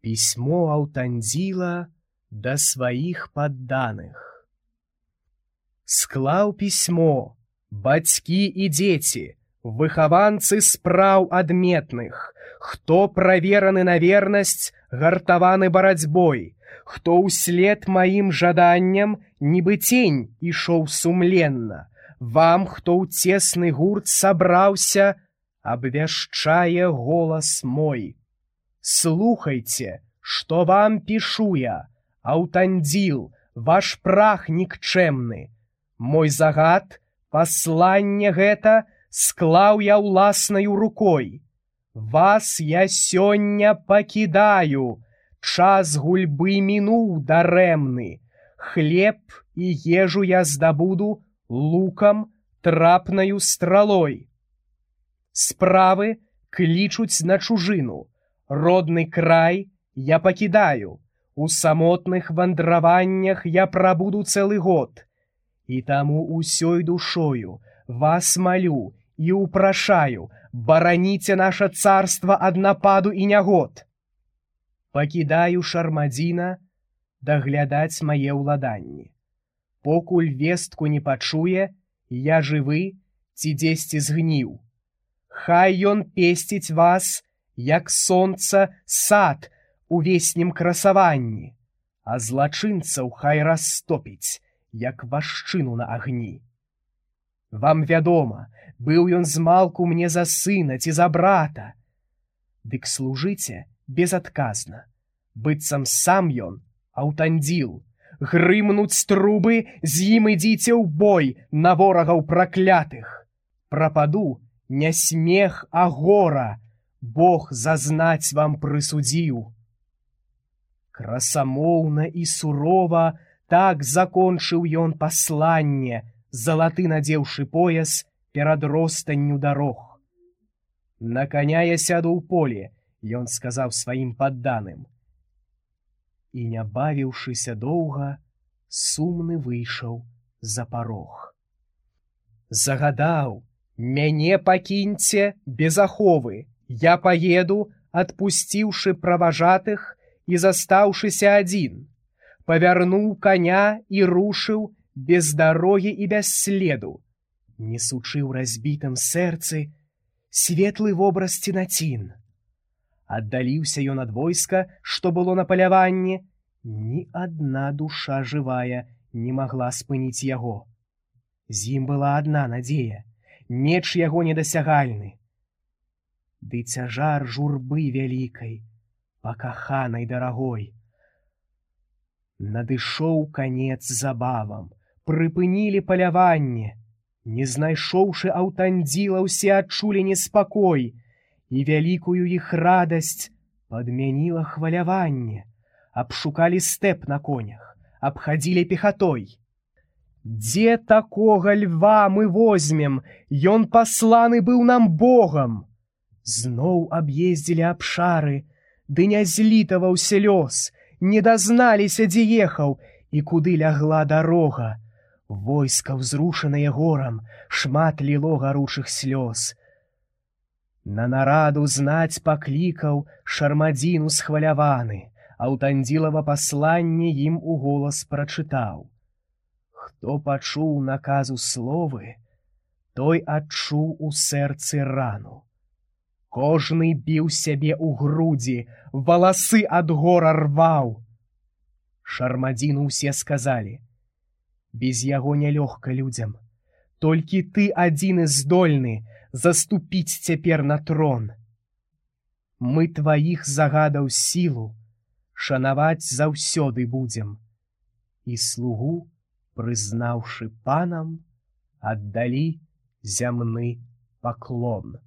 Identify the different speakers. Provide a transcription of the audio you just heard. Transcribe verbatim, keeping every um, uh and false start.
Speaker 1: Письмо Аўтандзіла да сваіх падданых. Склаў пісьмо, бацькі і дзеці, выхаванцы спраў адметных, хто правераны на вернасць, гартаваны барацьбой, хто ўслед маім жаданням, нібы цень ішоў сумленна, вам, хто ў цесны гурт сабраўся, абвяшчае голас мой. Слухайце, што вам пішу я, Аўтандзіл, ваш прах нікчэмны. Мой загад, пасланне гэта, склаў я ўласнаю рукой. Вас я сёння пакідаю, час гульбы мінуў дарэмны. Хлеб і ежу я здабуду лукам, трапнаю стралой. Справы клічуць на чужыну, родны край я пакідаю, у самотных вандраваннях я прабуду цэлы год. І таму усёй душою вас малю і упрашаю, бараніце наша царства ад нападу і нягод. Пакідаю Шармадзіна даглядаць мае ўладанні. Покуль вестку не пачуе, я жывы ці дзесьці згніў. Хай ён песціць вас, як сонца, сад у веснім красаванні, а злачынцаў хай растопіць, як вашчыну на агні. Вам вядома, быў ён змалку мне за сына ці за брата. Дык служыце безадказна, быццам сам ён, Аўтандзіл, грымнуць трубы, з ім ідзіце ў бой на ворагаў праклятых. Прападу не смех, а гора, Бог зазнаць вам прысудзіў. Красамоўна і сурова так закончыў ён пасланне, залаты надзеўшы пояс перад ростанню дарог. На каня я сяду ў поле, ён сказаў сваім падданым. І, не бавіўшыся доўга, сумны выйшаў за парог. Загадаў, мяне пакіньце без аховы, я паеду, адпусціўшы праважатых і застаўшыся адзін. Павярнуў каня і рушыў без дарогі і без следу, несучы ў разбітым сэрцы светлы вобраз цінацін. Аддаліўся ён ад войска, што было на паляванні, ні адна душа жывая не магла спыніць яго. З ім была адна надзея, меч яго недасягальны. Ды цяжар журбы вялікай, пакаханай дарагой. Надышоў канец забавам, прыпынілі паляванне. Не знайшоўшы Аўтандзіла, ўсе адчулі неспакой, і вялікую іх радасць падмяніла хваляванне. Абшукалі стэп на конях, абхадзілі пехатой. Дзе такога льва мы возьмем, ён пасланы быў нам Богам. Зноў аб'ездзілі абшары, ды не злітаваўся лёс, не дазналіся, дзе ехаў і куды лягла дарога. Войска, ўзрушанае горам, шмат ліло гаручых слёз. На нараду знаць паклікаў Шармадзін усхваляваны, Аўтандзілава пасланне ім у голас прачытаў. Хто пачуў наказу словы, той адчуў у сэрцы рану. Кожны біў сябе ў грудзі, валасы ад гора рваў. Шармадзіну ўсе сказалі: без яго нялёгка людзям, толькі ты адзіны здольны заступіць цяпер на трон. Мы тваіх загадаў сілу шанаваць заўсёды будзем. І слугу, прызнаўшы панам, аддалі зямны паклон.